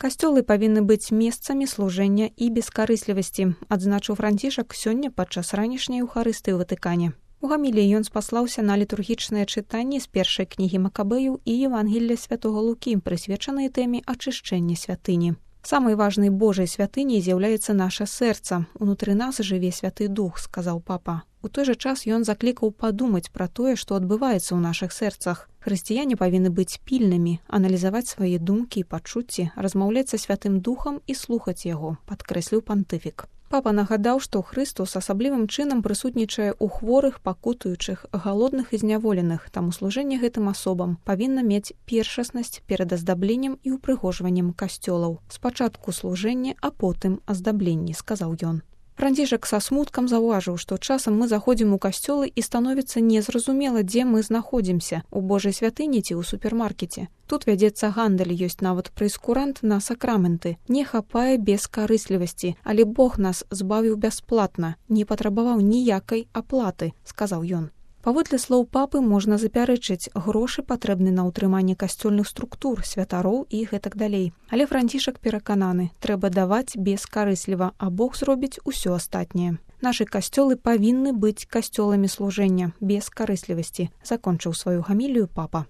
Касцёлы павінны быць месцамі служэння і бескарыслівасці, адзначыў Францішак сёння падчас ранішняй еўхарыстыі ў Ватыкане. У гаміліі ён спаслаўся на літургічныя чытанні з першай кнігі Макабеяў і Евангелля святога Лукі, прысвечаныя тэме ачышчэння святыні. Самай важнай Божай святыняй з'яўляецца наша сэрца. Унутры нас жыве Святы Дух, сказаў папа. У той жа час ён заклікаў падумаць пра тое, што адбываецца ў нашых сэрцах. Хрысціяне павінны быць пільнымі, аналізаваць свае думкі і пачуцці, размаўляць са Святым Духам і слухаць яго, падкрэсліў пантыфік. Папа нагадаў, што Хрыстос асаблівым чынам прысутнічае ў хворых, пакутуючых, галодных і зняволеных, таму служэнне гэтым асобам павінна мець першаснасць перад аздабленнем і ўпрыгожваннем касцёлаў. Спачатку служэнне, а потым аздабленне, сказаў ён. Францішак са смуткам заўважыў, што часам мы заходзім у касцёлы і становіцца незразумела, дзе мы знаходзімся, у Божай святыні ці ў супермаркеце. Тут вядзецца гандаль, ёсць нават прэйскурант на сакраменты. Не хапае бескарыслівасці, але Бог нас збавіў бясплатна, не патрабаваў ніякай аплаты, сказаў ён. Паводле слоў папы можна запярэчыць, грошы патрэбны на ўтрыманне касцёльных структур, святароў і гэтак далей. Але Францішак перакананы, трэба даваць бескарысліва, а Бог зробіць усё астатняе. Нашы касцёлы павінны быць касцёламі служэння, без карыслівасці, закончыў сваю гамілію папа.